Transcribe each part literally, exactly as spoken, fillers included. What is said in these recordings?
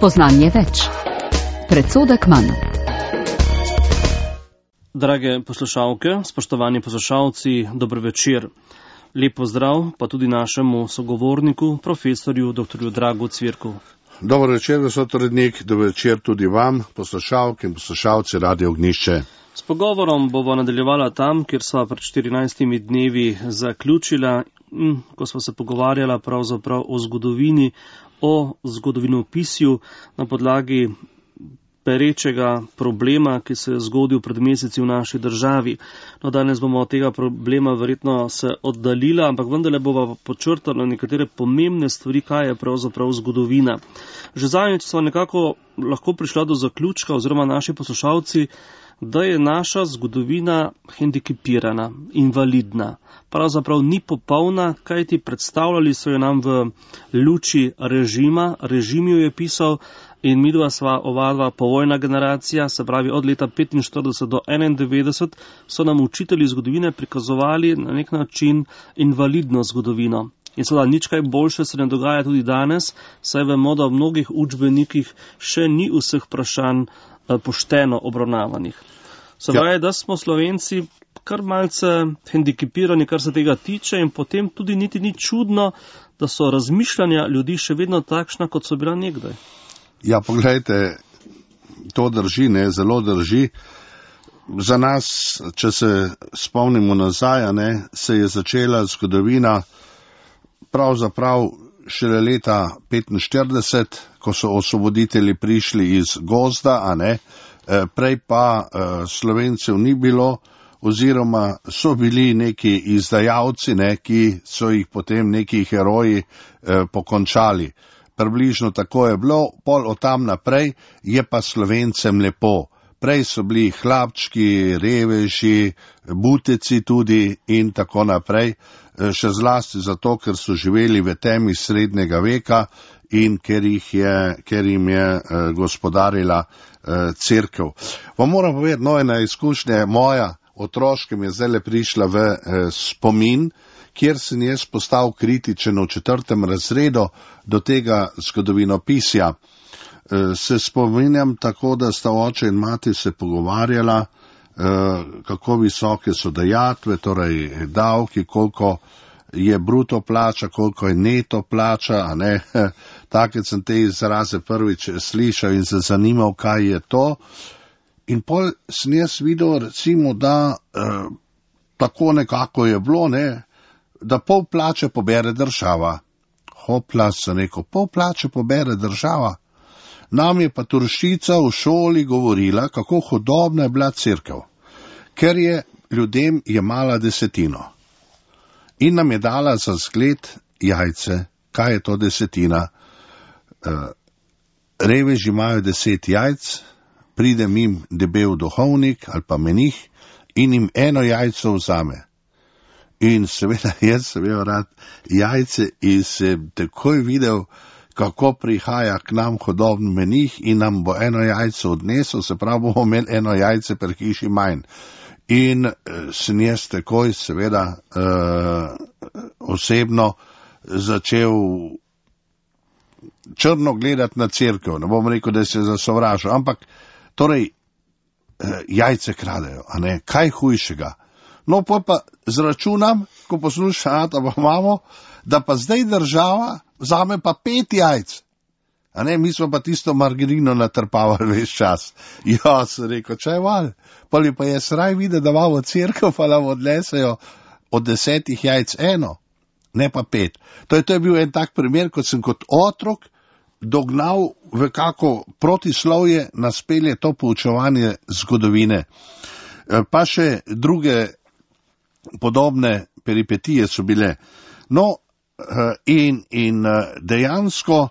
Spoznanje več. Predsodek manj. Drage poslušalke, spoštovani poslušalci, dober večer. Lep pozdrav pa tudi našemu sogovorniku, profesorju doktorju Dragu Cvirku. Dober večer, gospod urednik, dober večer tudi vam, poslušalke in poslušalci Radio Ognjišče. S pogovorom bova nadaljevala tam, kjer sva pred štirinajstimi dnevi zaključila, ko sva se pogovarjala pravzaprav o zgodovini, o zgodovinopisju na podlagi perečega problema, ki se je zgodil pred meseci v naši državi. No, danes bomo od tega problema verjetno se oddaljila, ampak vendarle bova počrtala nekatere pomembne stvari, kaj je pravzaprav zgodovina. Že zadnjič sva nekako lahko prišla do zaključka, oziroma naši poslušalci, da je naša zgodovina hendikepirana, invalidna. Pravzaprav ni popolna, kajti predstavljali so jo nam v luči režima, režim jo je pisal in midva sva ovadva povojna generacija, se pravi od leta petinštirideset do enaindevetdeset, so nam učitelji zgodovine prikazovali na nek način invalidno zgodovino. In seveda nič kaj boljše se ne dogaja tudi danes, saj vemo, da v mnogih učbenikih še ni vseh vprašanj pošteno obravnavanih. Se pravi, da smo Slovenci kar malce hendikepirani, kar se tega tiče, in potem tudi niti ni čudno, da so razmišljanja ljudi še vedno takšna, kot so bila nekdaj. Ja, pogledajte, to drži, ne, zelo drži. Za nas, če se spomnimo nazaj, ne, se je začela zgodovina pravzaprav šele leta petinštirideset, ko so osvoboditelji prišli iz gozda, a ne, prej pa Slovencev ni bilo, oziroma so bili neki izdajalci, ne, ki so jih potem neki heroji pokončali. Približno tako je bilo, pol od tam naprej je pa Slovencem lepo. Prej so bili hlapčki, reveži, buteci tudi in tako naprej, še zlasti zato, ker so živeli v temi srednjega veka in ker, jih je, ker jim je eh, gospodarila eh, cerkev. Vam moram povedati, no, ena izkušnja moja otroška mi je zdaj prišla v eh, spomin, kjer sem jaz postal kritičen v četrtem razredu do tega zgodovinopisja. Se spominjam tako, da sta oče in mati se pogovarjala, kako visoke so dajatve, torej davki, koliko je bruto plača, koliko je neto plača, a ne. Take sem te izraze prvič slišal in se zanimal, kaj je to. In pol sem jaz videl, recimo, da eh, tako nekako je bilo, ne, da pol plače pobere država. Hopla, sem rekel, pol plače pobere država. Nam je pa Turšica v šoli govorila, kako hudobna je bila cerkev, ker je ljudem jemala desetino. In nam je dala za zgled jajce. Kaj je to desetina? Reveži imajo deset jajc, pride jim debel duhovnik ali pa menih in jim eno jajco vzame. In seveda jaz sem imel rad jajce in sem takoj videl, kako prihaja k nam hudobni menih in nam bo eno jajce odnesel, se pravi, bomo imeli eno jajce per hiši manj. In sem jaz takoj seveda uh, osebno začel črno gledati na cerkev. Ne bom rekel, da se zasovražil, ampak torej uh, jajce kradejo, a ne, kaj hujšega. No, pa pa zračunam, ko poslušam, da pa imamo, da pa zdaj država vzame pa pet jajc. A ne, mi smo pa tisto margarino natrpavali ves čas. Ja, sem rekel, če je val. Poli pa je sraj videti, da imamo cerkev, pa nam odnesejo od desetih jajc eno, ne pa pet. To je, to je bil en tak primer, kot sem kot otrok dognal v kako protislovje naspelje to poučevanje zgodovine. Pa še druge podobne peripetije so bile. No, in, in dejansko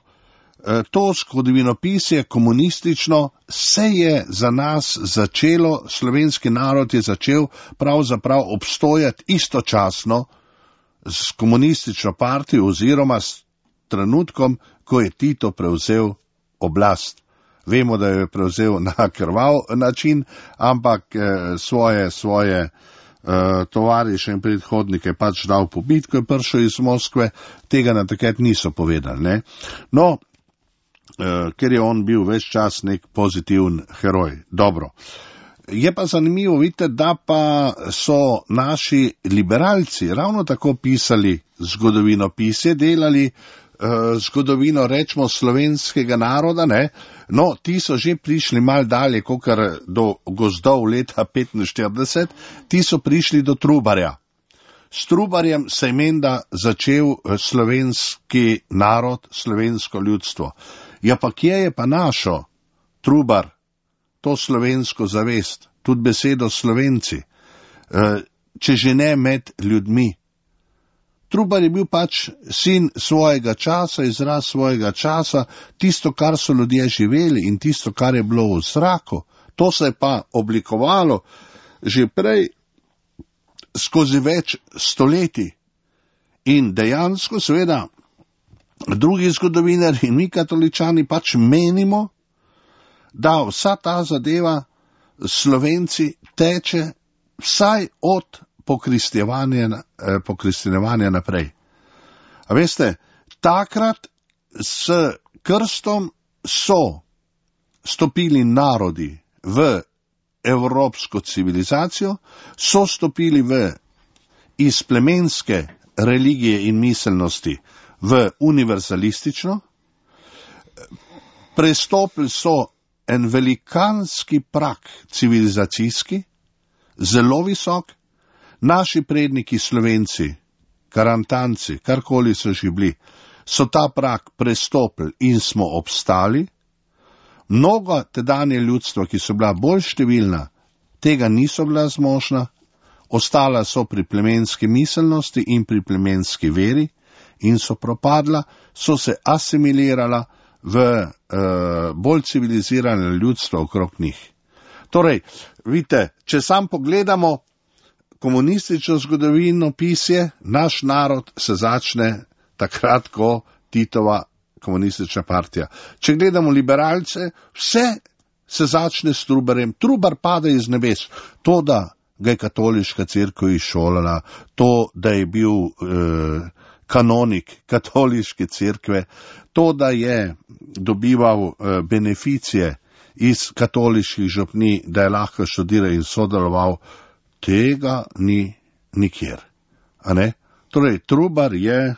to zgodovinopisje komunistično se je za nas začelo, slovenski narod je začel pravzaprav obstojati istočasno s komunistično partijo oziroma s trenutkom, ko je Tito prevzel oblast. Vemo, da jo je prevzel na krvav način, ampak eh, svoje, svoje eh, tovariše in predhodnike pač dal pobit, ko je prišel iz Moskve, tega na takrat niso povedali. Ne? No, ker je on bil ves čas nek pozitiven heroj. Dobro. Je pa zanimivo, vidite, da pa so naši liberalci ravno tako pisali zgodovinopisje, delali uh, zgodovino, rečemo, slovenskega naroda, ne? No, ti so že prišli mal dalje, kokar do gozdov leta petinštirideset, ti so prišli do Trubarja. S Trubarjem se je menda začel slovenski narod, slovensko ljudstvo. Ja, pa kje je pa našo Trubar to slovensko zavest, tudi besedo Slovenci, če že ne med ljudmi? Trubar je bil pač sin svojega časa, izraz svojega časa, tisto, kar so ljudje živeli in tisto, kar je bilo v zraku. To se je pa oblikovalo že prej skozi več stoletij. In dejansko, seveda, drugi zgodovinari in mi katoličani pač menimo, da vsa ta zadeva Slovenci teče vsaj od pokristjevanja naprej. A veste, takrat s krstom so stopili narodi v evropsko civilizacijo, so stopili v iz plemenske religije in miselnosti v univerzalistično, prestopili so en velikanski prak civilizacijski, zelo visok. Naši predniki Slovenci, Karantanci, karkoli so že bili, so ta prak prestopili in smo obstali. Mnogo tedanje ljudstva, ki so bila bolj številna, tega niso bila zmožna, ostala so pri plemenski miselnosti in pri plemenski veri in so propadla, so se asimilirala v uh, bolj civilizirane ljudstva okrog njih. Torej, vidite, če sam pogledamo komunistično zgodovino pisje, naš narod se začne takrat, ko Titova komunistična partija. Če gledamo liberalce, vse se začne s Trubarjem. Trubar pade iz nebes. To, da ga je katoliška cerkev izšolala, to, da je bil eh, kanonik katoliške cerkve, to, da je dobival eh, beneficije iz katoliških župni, da je lahko študiral in sodeloval, tega ni nikjer. A ne? Torej, Trubar je eh,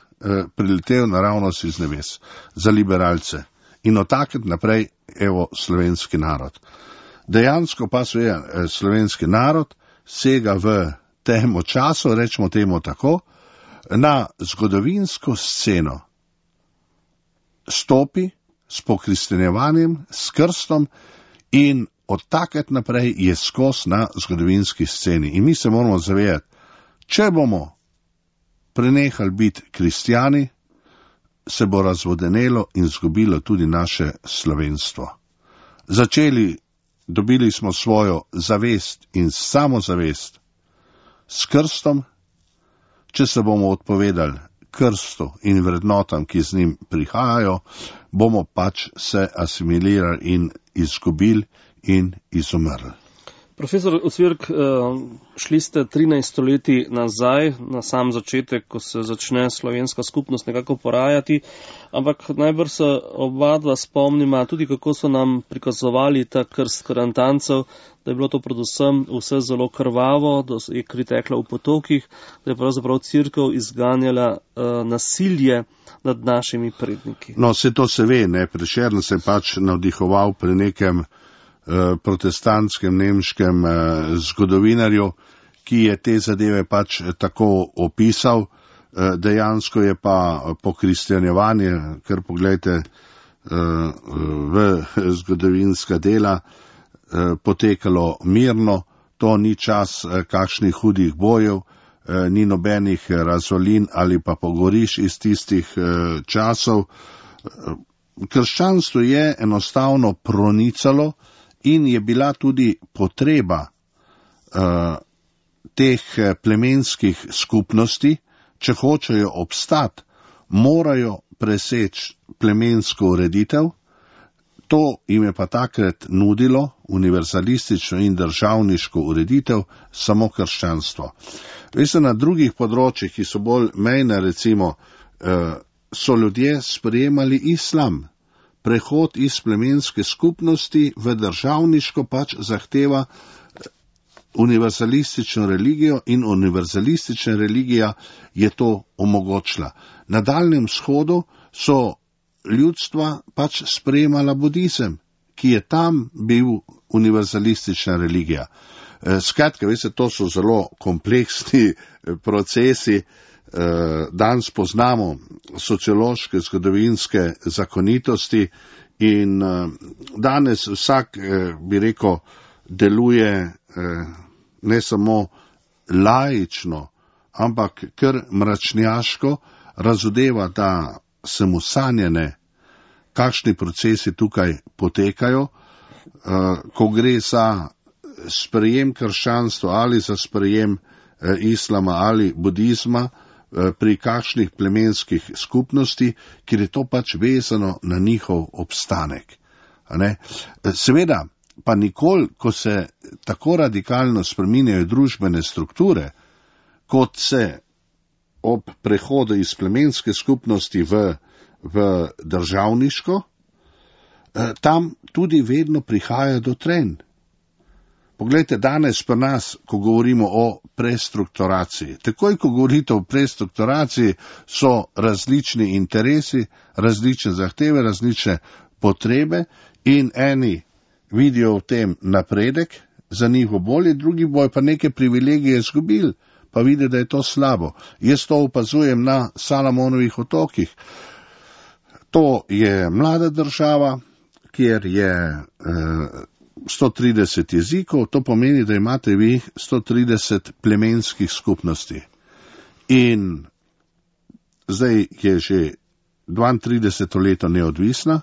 priletel naravnost iz nebes za liberalce in od takrat naprej, evo, slovenski narod. Dejansko pa se je eh, slovenski narod sega v temu času, rečemo temu tako, na zgodovinsko sceno stopi s pokristjanjevanjem, s krstom in od takrat naprej je skos na zgodovinski sceni. In mi se moramo zavedati, če bomo prenehali biti kristjani, se bo razvodenelo in zgubilo tudi naše slovenstvo. Začeli, dobili smo svojo zavest in samozavest s krstom, če se bomo odpovedali krstu in vrednotam, ki z njim prihajajo, bomo pač se asimilirali in izgubili in izumrli. Profesor Ocvirk, šli ste trinajst stoletij nazaj, na sam začetek, ko se začne slovenska skupnost nekako porajati, ampak najbrž se oba dva spomnima tudi, kako so nam prikazovali ta krst Karantancev, da je bilo to predvsem vse zelo krvavo, da je kri tekla v potokih, da je pravzaprav cerkev izganjala uh, nasilje nad našimi predniki. No, se to se ve, ne, Prešern se pač navdihoval pri nekem protestantskem nemškem eh, zgodovinarju, ki je te zadeve pač tako opisal. Eh, dejansko je pa pokristjanjevanje, ker pogledajte eh, v zgodovinska dela, eh, potekalo mirno, to ni čas eh, kakšnih hudih bojev, eh, ni nobenih razvalin ali pa pogoriš iz tistih eh, časov. Krščanstvo je enostavno pronicalo in je bila tudi potreba uh, teh plemenskih skupnosti, če hočejo obstati, morajo preseči plemensko ureditev. To jim je pa takrat nudilo univerzalistično in državniško ureditev samo krščanstvo. Veste, na drugih področjih, ki so bolj mejne, recimo, uh, so ljudje sprejemali islam. prehod iz plemenske skupnosti v državniško pač zahteva univerzalistično religijo in univerzalistična religija je to omogočila. Na Daljnem vzhodu so ljudstva pač sprejemala budizem, ki je tam bil univerzalistična religija. Skratka, veste, to so zelo kompleksni procesi. Danes poznamo sociološke, zgodovinske zakonitosti in danes vsak, bi rekel, deluje ne samo laično, ampak kar mračnjaško, razodeva, da se mu sanjene, kakšni procesi tukaj potekajo, ko gre za sprejem krščanstva ali za sprejem islama ali budizma pri kakšnih plemenskih skupnosti, kjer je to pač vezano na njihov obstanek. Seveda, pa nikoli, ko se tako radikalno spreminjajo družbene strukture, kot se ob prehodu iz plemenske skupnosti v, v državniško, tam tudi vedno prihaja do trenj. Poglejte, danes pa nas, ko govorimo o prestrukturaciji. Takoj, ko govorite o prestrukturaciji, so različni interesi, različne zahteve, različne potrebe in eni vidijo v tem napredek, za njih bo bolje, drugi bojo pa neke privilegije izgubili, pa vidi, da je to slabo. Jaz to opazujem na Salomonovih otokih. To je mlada država, kjer je eh, sto trideset jezikov, to pomeni, da imate vi sto trideset plemenskih skupnosti. In zdaj je že dvaintrideseto leto neodvisna,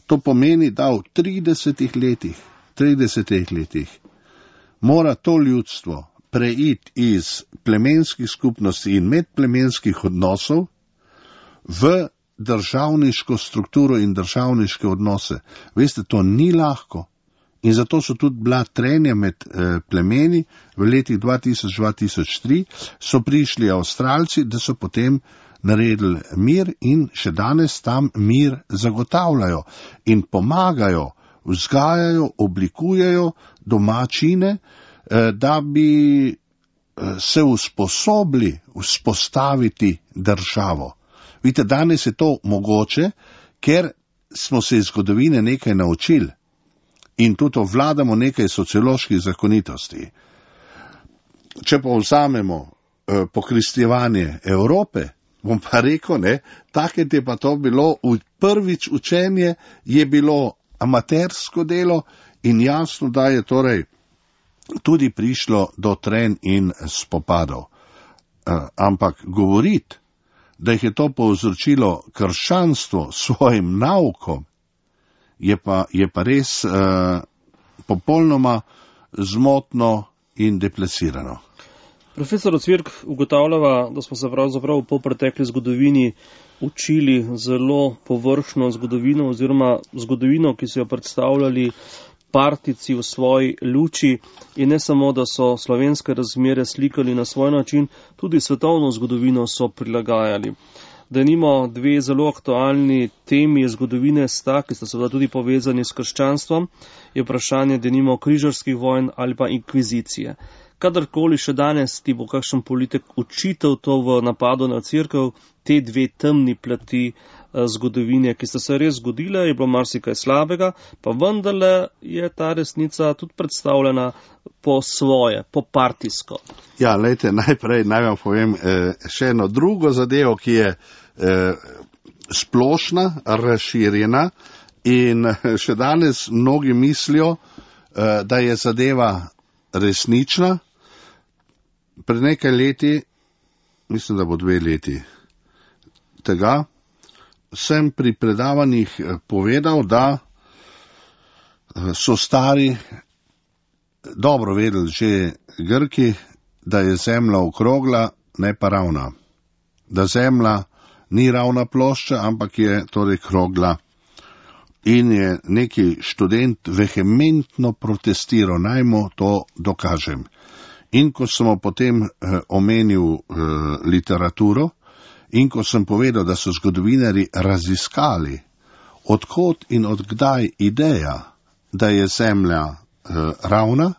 to pomeni, da v tridesetih letih, tridesetih letih mora to ljudstvo preiti iz plemenskih skupnosti in medplemenskih odnosov v državniško strukturo in državniške odnose. Veste, to ni lahko. In zato so tudi bila trenja med eh, plemeni. V letih dva tisoč do dva tisoč tri so prišli Avstralci, da so potem naredili mir in še danes tam mir zagotavljajo in pomagajo, vzgajajo, oblikujejo domačine, eh, da bi eh, se usposobili vzpostaviti državo. Vidite, danes je to mogoče, ker smo se iz zgodovine nekaj naučili. In tudi ovladamo nekaj socioloških zakonitosti. Če pa vzamemo eh, pokristjevanje Evrope, bom pa rekel, ne, takrat je pa to bilo, prvič učenje je bilo amatersko delo in jasno, da je torej tudi prišlo do trenj in spopadov. Eh, ampak govoriti, da jih je to povzročilo krščanstvo svojim naukom, je pa, je pa res uh, popolnoma zmotno in deplasirano. Profesor Ocvirk, ugotavljava, da smo se pravzaprav v polpretekli zgodovini učili zelo površno zgodovino oziroma zgodovino, ki so jo predstavljali partici v svoji luči in ne samo, da so slovenske razmere slikali na svoj način, tudi svetovno zgodovino so prilagajali. Denimo dve zelo aktualni temi zgodovine sta, ki sta seveda tudi povezani s krščanstvom, je vprašanje denimo križarskih vojn ali pa inkvizicije. Kadarkoli še danes ti bo kakšen politik učitev to v napadu na cerkev, te dve temni plati zgodovine, ki sta se res zgodile, je bilo marsikaj slabega, pa vendarle je ta resnica tudi predstavljena po svoje, po partijsko. Ja, lejte, najprej naj vam povem eh, še eno drugo zadevo, ki je eh, splošna, razširjena in še danes mnogi mislijo, eh, da je zadeva resnična. Pred nekaj leti, mislim, da bo dve leti tega, sem pri predavanjih povedal, da so stari dobro vedeli že Grki, da je zemlja okrogla, ne pa ravna. Da zemlja ni ravna plošča, ampak je torej krogla. In je neki študent vehementno protestiral, naj mu to dokažem. In ko sem potem eh, omenil eh, literaturo, in ko sem povedal, da so zgodovinari raziskali odkot in odkdaj ideja, da je Zemlja eh, ravna,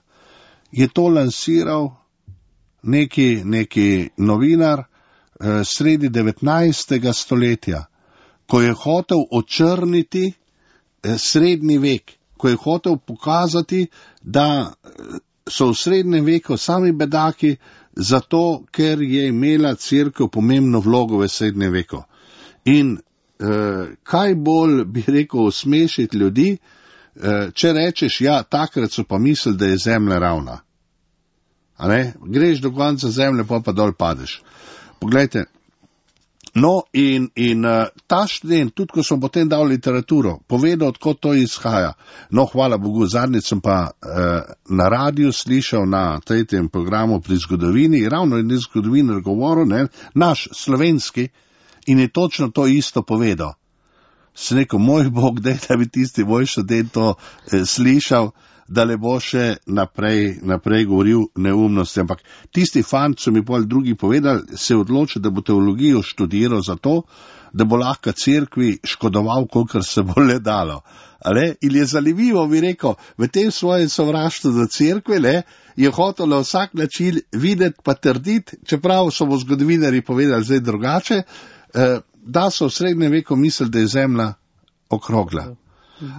je to lansiral neki, neki novinar eh, sredi devetnajstega stoletja, ko je hotel očrniti eh, srednji vek, ko je hotel pokazati, da so v srednjem veku sami bedaki, zato ker je imela cerkev pomembno vlogo v srednjem veku. In eh, kaj bolj, bi rekel, smešiti ljudi, eh, če rečeš, ja, takrat so pa mislili, da je Zemlja ravna. A ne? Greš do konca Zemlje, pa pa dol padeš. Poglejte, no in, in uh, ta študent, tudi ko smo potem dal literaturo, povedal, odkot to izhaja. No, hvala Bogu, zadnjič sem pa uh, na radiju slišal na tretjem programu pri zgodovini, ravno je zgodovinar govoril, ne, naš slovenski, in je točno to isto povedal. Se rekel, moj Bog, dej, da bi tisti moj študent to eh, slišal, da le bo še naprej, naprej govoril neumnosti. Ampak tisti fant, so mi pol drugi povedali, se je odločil, da bo teologijo študiral zato, da bo lahko cerkvi škodoval, kolikor se bo le dalo. Ale? In je zanimivo, bi rekel, v tem svojem sovraštvu do cerkve, le, je hotel na vsak način videti pa trditi, čeprav so mu zgodovinarji povedali zdaj drugače, eh, da so v srednjem veku mislili, da je Zemlja okrogla.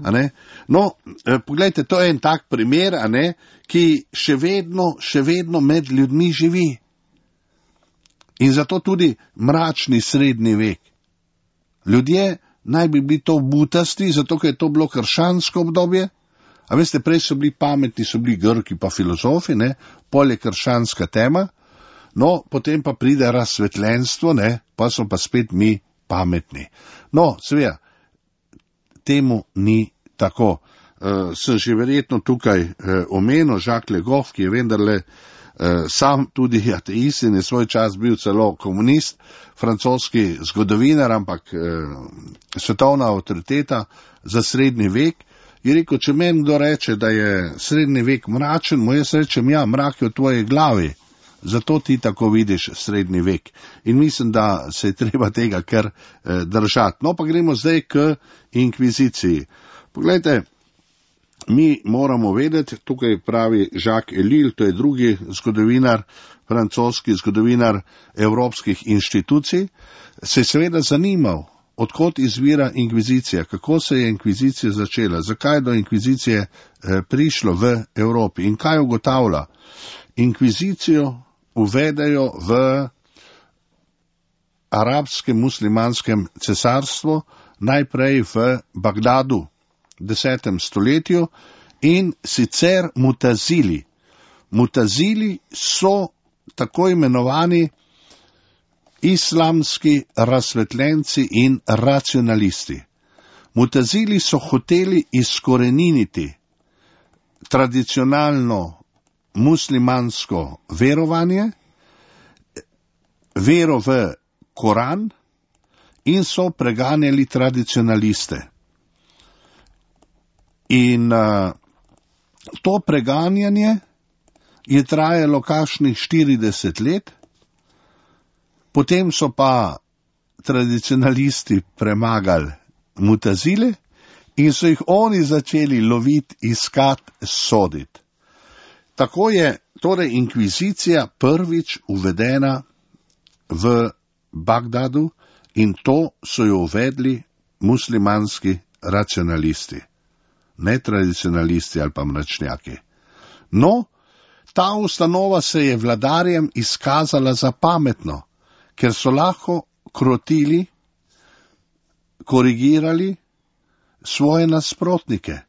A ne? No, eh, poglejte, to je en tak primer, a ne, ki še vedno, še vedno med ljudmi živi. In zato tudi mračni srednji vek. Ljudje naj bi bili to butasti, zato ker je to bilo krščansko obdobje. A veste, prej so bili pametni, so bili Grki pa filozofi, ne, pol je krščanska tema, no, potem pa pride razsvetljenstvo, ne, pa so pa spet mi pametni. No, seveda, temu ni tako. Uh, sem že verjetno tukaj uh, omenil Jacques Le Goff, ki je vendarle uh, sam tudi ateist in je svoj čas bil celo komunist, francoski zgodovinar, ampak uh, svetovna avtoriteta za srednji vek, je rekel, če meni kdo reče, da je srednji vek mračen, mu jaz rečem, ja, mrak je v tvoji glavi. Zato ti tako vidiš srednji vek. In mislim, da se je treba tega kar eh, držati. No, pa gremo zdaj k inkviziciji. Poglejte, mi moramo vedeti, tukaj pravi Jacques Ellul, to je drugi zgodovinar, francoski zgodovinar evropskih inštitucij, se je seveda zanimal, odkot izvira inkvizicija, kako se je inkvizicija začela, zakaj do inkvizicije eh, prišlo v Evropi in kaj ugotavlja. Inkvizicijo uvedejo v arabskem muslimanskem cesarstvu, najprej v Bagdadu v desetem stoletju in sicer mutazili. Mutazili so tako imenovani islamski razsvetljenci in racionalisti. Mutazili so hoteli izkoreniniti tradicionalno muslimansko verovanje, vero v Koran in so preganjali tradicionaliste. In uh, to preganjanje je trajalo kakšnih štirideset let, potem so pa tradicionalisti premagali mutazile in so jih oni začeli loviti, iskati, soditi. Tako je torej inkvizicija prvič uvedena v Bagdadu in to so jo uvedli muslimanski racionalisti, ne tradicionalisti ali pa mračnjaki. No, ta ustanova se je vladarjem izkazala za pametno, ker so lahko krotili, korigirali svoje nasprotnike.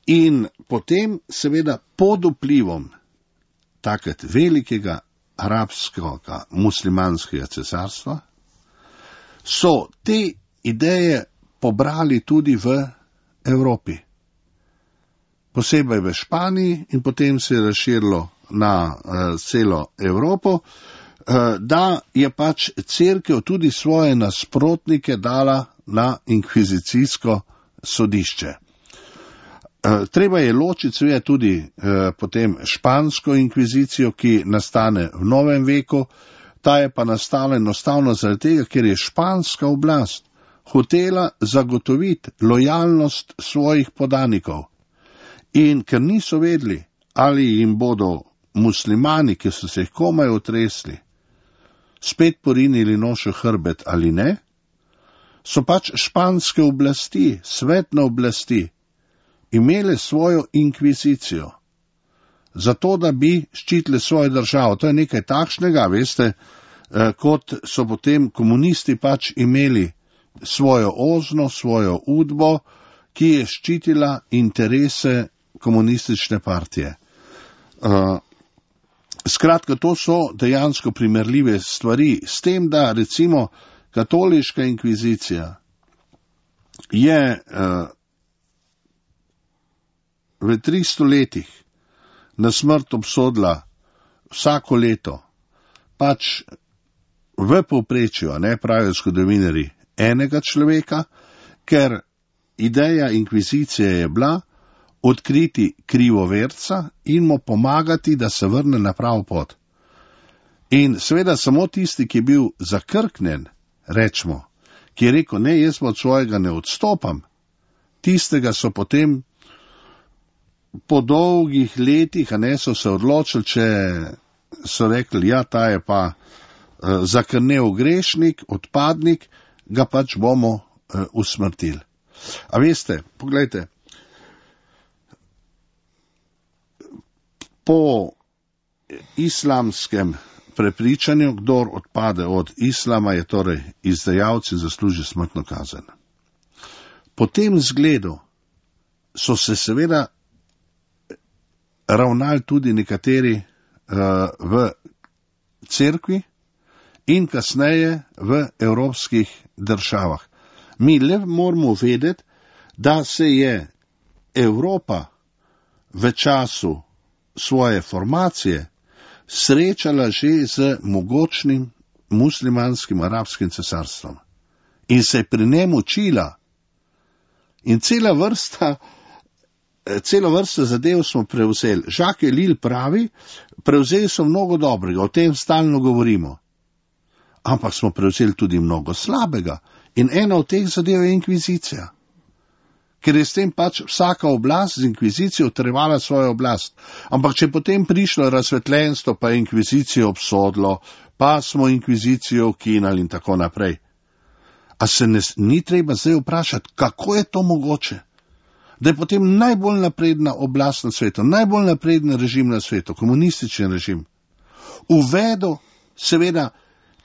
In potem, seveda, pod vplivom takrat velikega arabskega muslimanskega cesarstva, so te ideje pobrali tudi v Evropi. Posebej v Španiji in potem se je razširilo na uh, celo Evropo, uh, da je pač cerkev tudi svoje nasprotnike dala na inkvizicijsko sodišče. Treba je ločiti seveda tudi eh, potem špansko inkvizicijo, ki nastane v novem veku, ta je pa nastala enostavno zaradi tega, ker je španska oblast hotela zagotoviti lojalnost svojih podanikov. In ker niso vedeli, ali jim bodo muslimani, ki so se jih komaj otresli, spet porinili nošo hrbet ali ne, so pač španske oblasti, svetne oblasti, imele svojo inkvizicijo, zato da bi ščitili svojo državo. To je nekaj takšnega, veste, kot so potem komunisti pač imeli svojo ozno, svojo udbo, ki je ščitila interese komunistične partije. Skratka, to so dejansko primerljive stvari, s tem, da recimo katoliška inkvizicija je v tristo letih na smrt obsodila vsako leto, pač v povprečju, ne pravijo zgodovinarji, enega človeka, ker ideja inkvizicije je bila odkriti krivoverca in mu pomagati, da se vrne na pravo pot. In seveda samo tisti, ki je bil zakrknen, rečemo, ki je rekel, ne, jaz od svojega ne odstopam, tistega so potem po dolgih letih, a ne, so se odločili, če so rekli, ja, ta je pa uh, zakrnel grešnik, odpadnik, ga pač bomo uh, usmrtili. A veste, poglejte, po islamskem prepričanju, kdor odpade od islama, je torej izdajalci zasluži smrtno kazen. Po tem zgledu so se seveda ravnali tudi nekateri uh, v cerkvi in kasneje v evropskih državah. Mi le moramo vedeti, da se je Evropa v času svoje formacije srečala že z mogočnim muslimanskim arabskim cesarstvom in se je pri njem učila. In cela vrsta, cela vrsta zadev smo prevzeli. Jacques Ellul pravi, prevzeli so mnogo dobrega, o tem stalno govorimo. Ampak smo prevzeli tudi mnogo slabega. In ena od teh zadev je inkvizicija. Ker je s tem pač vsaka oblast z inkvizicijo utrjevala svojo oblast. Ampak če potem prišlo razsvetljenstvo, pa je inkvizicijo obsodilo, pa smo inkvizicijo ukinali in tako naprej. A se ne, ni treba zdaj vprašati, kako je to mogoče? Da je potem najbolj napredna oblast na svetu, najbolj napreden režim na svetu, komunistični režim, uvedel seveda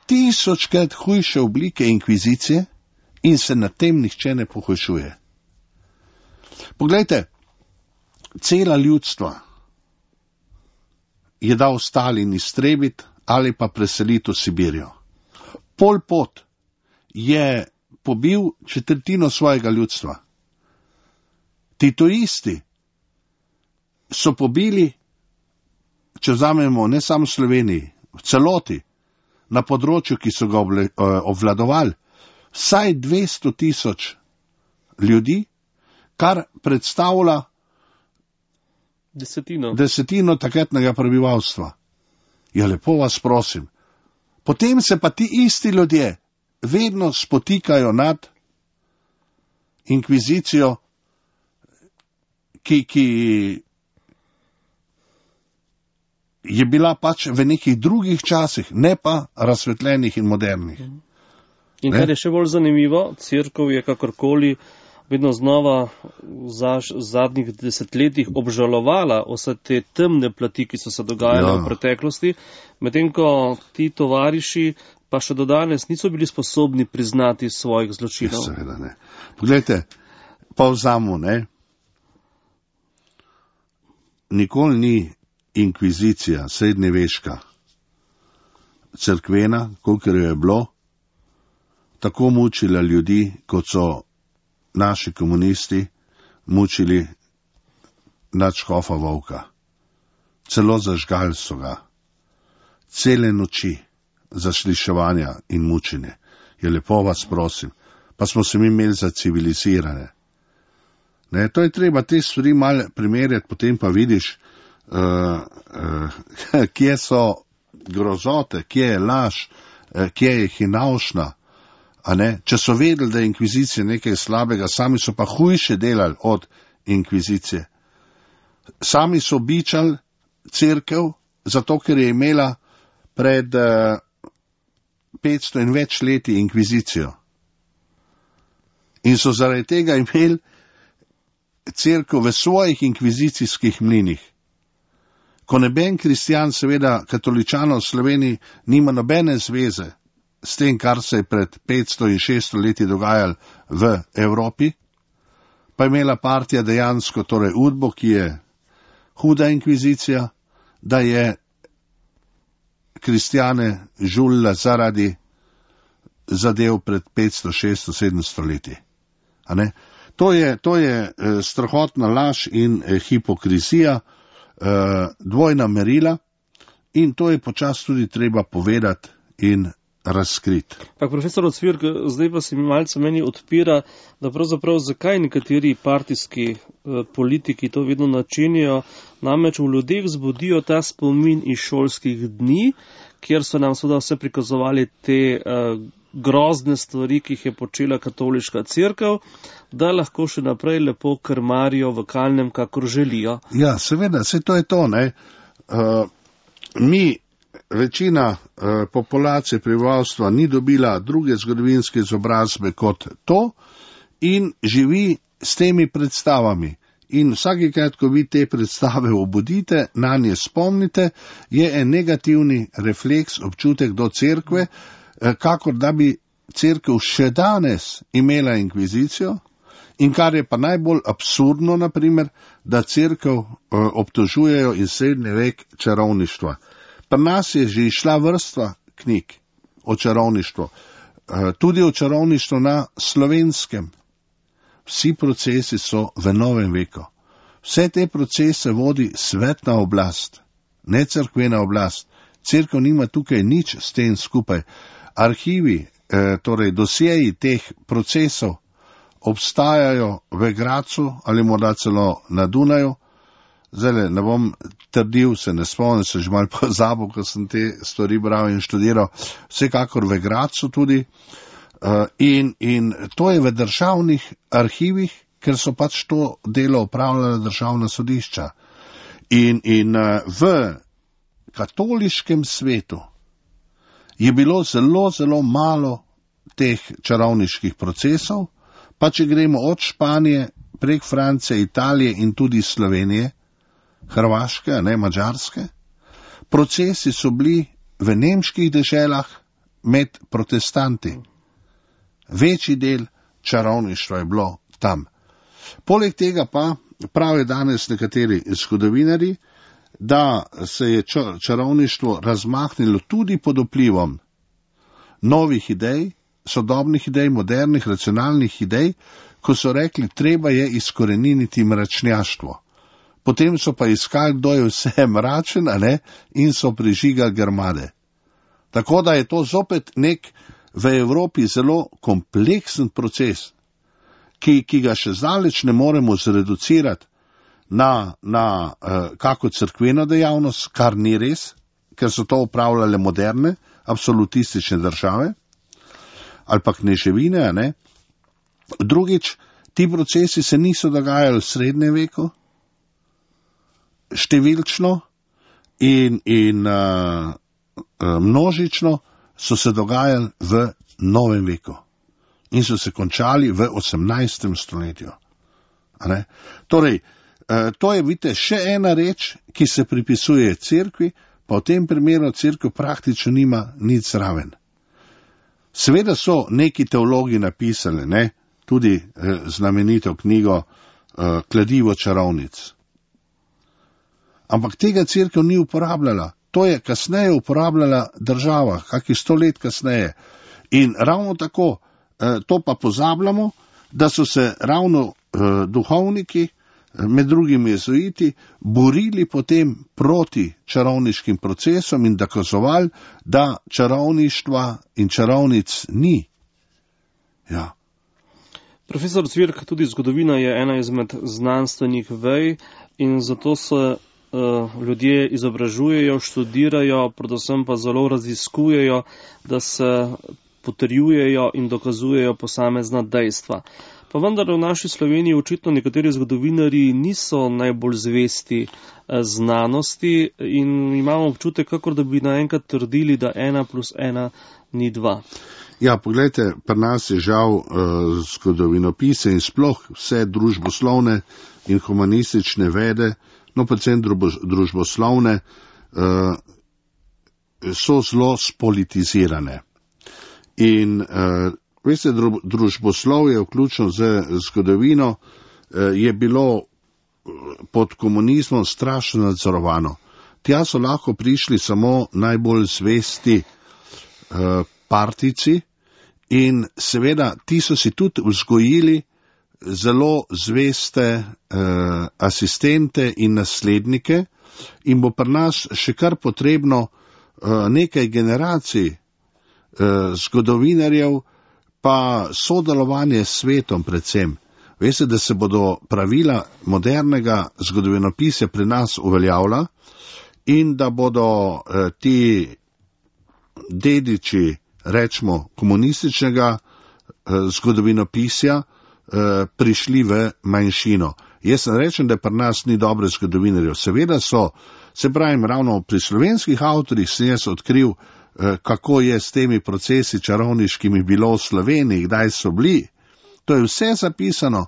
tisočkrat hujše oblike inkvizicije in se nad tem nihče ne pohujšuje. Poglejte, cela ljudstva je dal Stalin iztrebiti ali pa preseliti v Sibirijo. Pol Pot je pobil četrtino svojega ljudstva. Titoisti so pobili, če vzamemo ne samo v Sloveniji, v celoti, na področju, ki so ga obvladovali, vsaj dvesto tisoč ljudi, kar predstavlja desetino, desetino takratnega prebivalstva. Ja, lepo vas prosim. Potem se pa ti isti ljudje vedno spotikajo nad inkvizicijo, ki, ki je bila pač v nekih drugih časih, ne pa razsvetljenih in modernih. In kar je še bolj zanimivo, cerkev je kakorkoli vedno znova v zadnjih desetletjih obžalovala vse te temne plati, ki so se dogajale ja. v preteklosti, medtem ko ti tovariši pa še do danes niso bili sposobni priznati svojih zločinov. Ja, seveda ne. Poglejte, pa vzamo, ne, nikoli ni inkvizicija, srednjeveška, cerkvena, kolikor je bilo, tako mučila ljudi, kot so naši komunisti mučili nadškofa Volka. Celo zažgali so ga. Cele noči zasliševanja in mučenje. Je lepo vas prosim. Pa smo se mi imeli za civilizirane. Ne, to je treba te stvari malo primerjati, potem pa vidiš, uh, uh, kje so grozote, kje je laž, uh, kje je hinavšna. A ne? Če so vedeli, da je inkvizicija nekaj slabega, sami so pa hujše delali od inkvizicije. Sami so bičali cerkev, zato ker je imela pred uh, petsto in več leti inkvizicijo. In so zaradi tega imeli cerkev v svojih inkvizicijskih mlinih. Ko neben kristjan, seveda katoličanov v Sloveniji, nima nobene zveze s tem, kar se je pred petsto in šeststo leti dogajalo v Evropi, pa je imela partija dejansko, torej Udbo, ki je huda inkvizicija, da je kristjane žulila zaradi zadev pred petsto, šeststo, sedemsto leti. A ne? To je, to je eh, strahotna laž in eh, hipokrizija, eh, dvojna merila, in to je počasi tudi treba povedati in razkriti. Pa profesor Ocvirk, zdaj pa se mi malce meni odpira, da pravzaprav zakaj nekateri partijski eh, politiki to vedno načinijo, namreč v ljudeh zbudijo ta spomin iz šolskih dni, kjer so nam seveda vse prikazovali te eh, grozne stvari, ki jih je počela katoliška cerkev, da lahko še naprej lepo krmarijo v kalnem, kakor želijo. Ja, seveda, se to je to, ne. Uh, mi, večina uh, populacije prebivalstva ni dobila druge zgodovinske izobrazbe kot to in živi s temi predstavami. In vsakikrat, ko vi te predstave obudite, na nje spomnite, je en negativni refleks, občutek do cerkve, kakor da bi cerkev še danes imela inkvizicijo, in kar je pa najbolj absurdno, naprimer, da cerkev eh, obtožujejo in srednji vek čarovništva. Pri nas je že išla vrsta knjig o čarovništvu, eh, tudi o čarovništvu na Slovenskem. Vsi procesi so v novem veku. Vse te procese vodi svetna oblast, ne cerkvena oblast. Cerkev nima tukaj nič s tem skupaj. Arhivi, eh, torej dosjeji teh procesov obstajajo v Gracu ali morda celo na Dunaju. Zdaj ne bom trdil, se ne spomnim, se že malo pozabil, ko sem te stvari bral in študiral, vsekakor v Gracu tudi. Uh, in, in to je v državnih arhivih, ker so pač to delo upravljala državna sodišča. In, in uh, v katoliškem svetu je bilo zelo, zelo malo teh čarovniških procesov, pa če gremo od Španije prek Francije, Italije in tudi Slovenije, Hrvaške, ne Madžarske, procesi so bili v nemških deželah med protestanti. Večji del čarovništva je bilo tam. Poleg tega pa pravijo danes nekateri zgodovinarji, da se je čarovništvo razmahnilo tudi pod vplivom novih idej, sodobnih idej, modernih, racionalnih idej, ko so rekli, treba je izkoreniniti mračnjaštvo. Potem so pa iskali, kdo je vse mračen, a ne, in so prižigali grmade. Tako da je to zopet nek v Evropi zelo kompleksen proces, ki, ki ga še zdaleč ne moremo zreducirati na, na uh, kako cerkveno dejavnost, kar ni res, ker so to upravljale moderne, absolutistične države, ali pa kneževine, ne. Drugič, ti procesi se niso dogajali v srednjem veku, številčno in, in uh, uh, množično so se dogajali v novem veku in so se končali v osemnajstem stoletju. A ne? Torej, uh, to je, vidite, še ena reč, ki se pripisuje cerkvi, pa v tem primeru cerkev praktično nima nič zraven. Seveda so neki teologi napisali, ne, tudi eh, znamenito knjigo eh, Kladivo čarovnic. Ampak tega cerkev ni uporabljala. To je kasneje uporabljala država, kakih sto let kasneje. In ravno tako, eh, to pa pozabljamo, da so se ravno eh, duhovniki, med drugim jezuiti, borili potem proti čarovniškim procesom in dokazovali, da čarovništva in čarovnic ni. Ja. Profesor Cvirk, tudi zgodovina je ena izmed znanstvenih vej in zato se uh, ljudje izobražujejo, študirajo, predvsem pa zelo raziskujejo, da se potrjujejo in dokazujejo posamezna dejstva. Pa vendar v naši Sloveniji očitno nekateri zgodovinarji niso najbolj zvesti znanosti in imamo občutek, kakor da bi naenkrat trdili, da ena plus ena ni dva. Ja, pogledajte, pri nas je žal uh, zgodovinopise in sploh vse družboslovne in humanistične vede, no predvsem družboslovne, uh, so zelo spolitizirane. In uh, veste, družboslovje, vključno z zgodovino, uh, je bilo pod komunizmom strašno nadzorovano. Tja so lahko prišli samo najbolj zvesti uh, partijci in seveda ti so si tudi vzgojili zelo zveste uh, asistente in naslednike in bo pri nas še kar potrebno uh, nekaj generacij uh, zgodovinarjev pa sodelovanje s svetom predvsem. Veste, da se bodo pravila modernega zgodovinopisja pri nas uveljavila in da bodo uh, ti dediči, rečemo, komunističnega eh, zgodovinopisja eh, prišli v manjšino. Jaz ne rečem, da pri nas ni dobre zgodovinarjev. Seveda so, se pravim, ravno pri slovenskih avtorjih sem jaz odkril, eh, kako je s temi procesi čarovniškimi bilo v Sloveniji, kdaj so bili. To je vse zapisano.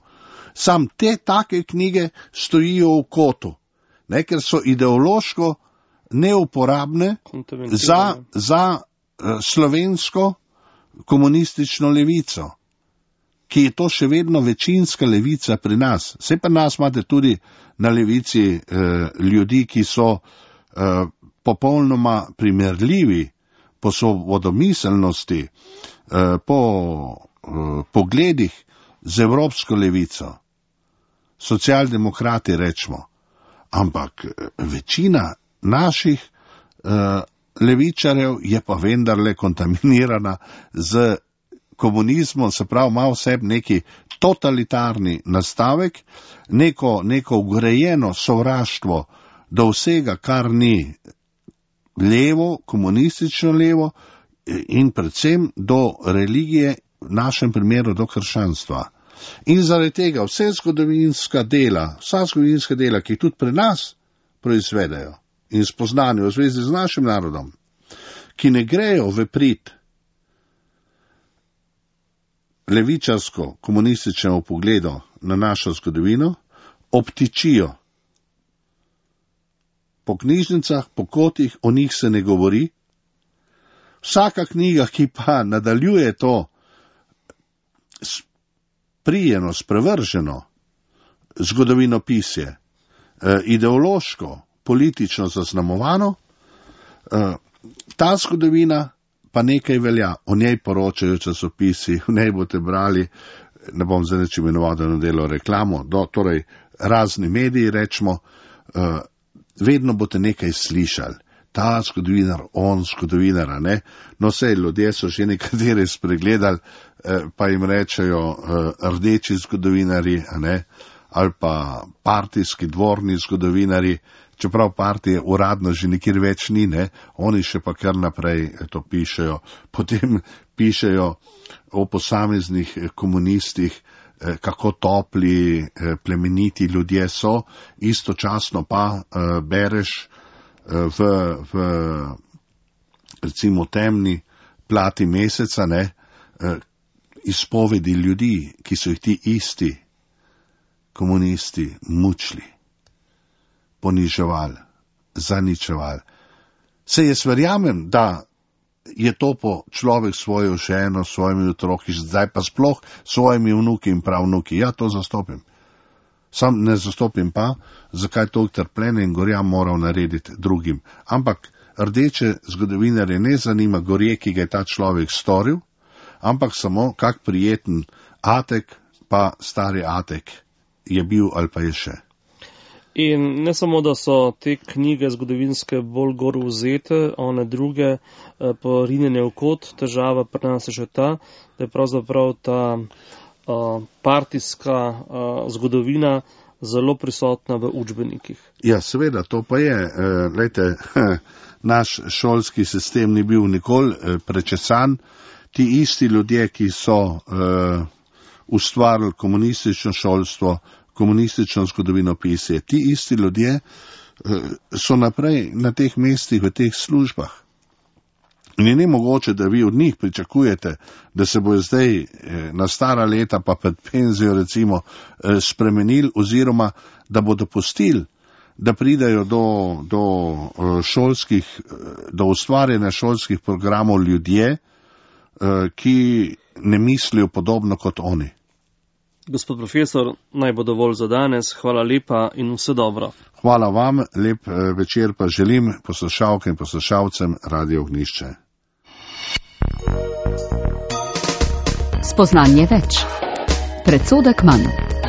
Sam te take knjige stojijo v kotu, ne, ker so ideološko neuporabne za, za slovensko komunistično levico, ki je to še vedno večinska levica pri nas. Vse pri nas imate tudi na levici eh, ljudi, ki so eh, popolnoma primerljivi po svobodomiselnosti, eh, po eh, pogledih z evropsko levico. Socialdemokrati rečemo, ampak večina naših eh, levičarjev je pa vendarle kontaminirana z komunizmom, se pravi, ima v sebi neki totalitarni nastavek, neko, neko ugrajeno sovraštvo do vsega, kar ni levo, komunistično levo in predvsem do religije, v našem primeru do krščanstva. In zaradi tega vse zgodovinska dela, vsa zgodovinska dela, ki tudi pri nas proizvedajo, in spoznanje v zvezi z našim narodom, ki ne grejo v prid levičarsko-komunističnemu pogledu na našo zgodovino, obtičijo. Po knjižnicah, po kotih, o njih se ne govori. Vsaka knjiga, ki pa nadaljuje to sprijeno, sprevrženo zgodovinopisje, ideološko, politično zaznamovano, ta zgodovina pa nekaj velja, o njej poročajo časopisi, v njej boste brali, ne bom zdaj reči imenovano delo reklamo, do, torej razni mediji rečemo, vedno boste nekaj slišali, ta zgodovinar, on zgodovinara, ne, no sej ljudje so že nekateri spregledali, pa jim rečejo rdeči zgodovinari, ne, ali pa partijski dvorni zgodovinari, čeprav partije uradno že nikjer več ni, ne, oni še pa kar naprej to pišejo. Potem pišejo o posameznih komunistih, kako topli, plemeniti ljudje so, istočasno pa bereš v, v recimo temni plati meseca, ne, izpovedi ljudi, ki so jih ti isti komunisti mučili, poniževali, zaničevali. Se jaz verjamem, da je to po človek svojo ženo, svojimi otroki, zdaj pa sploh svojimi vnuki in pravnuki. Ja, to zastopim. Sam ne zastopim pa, zakaj to trpljenje in gorja moral narediti drugim. Ampak rdeče zgodovinarje ne zanima gorje, ki ga je ta človek storil, ampak samo kak prijeten Atek, pa stari Atek je bil ali pa je še. In ne samo, da so te knjige zgodovinske bolj gor vzete, one druge porinjene v kot, težava pri nas je že ta, da je pravzaprav ta uh, partijska uh, zgodovina zelo prisotna v učbenikih. Ja, seveda, to pa je. Uh, lejte, naš šolski sistem ni bil nikoli uh, prečesan, ti isti ljudje, ki so uh, ustvarili komunistično šolstvo, komunistično zgodovinopisje, ti isti ljudje uh, so naprej na teh mestih, v teh službah. In je nemogoče, da vi od njih pričakujete, da se bojo zdaj eh, na stara leta pa pred penzijo recimo eh, spremenili oziroma da bodo pustili, da pridajo do, do eh, šolskih, do ustvarjanja šolskih programov ljudje, eh, ki ne mislijo podobno kot oni. Gospod profesor, naj bo dovolj za danes. Hvala lepa in vse dobro. Hvala vam, lep eh, večer pa želim poslušalkam in poslušalcem Radio Ognjišče. Spoznanje več. Predsodek manj.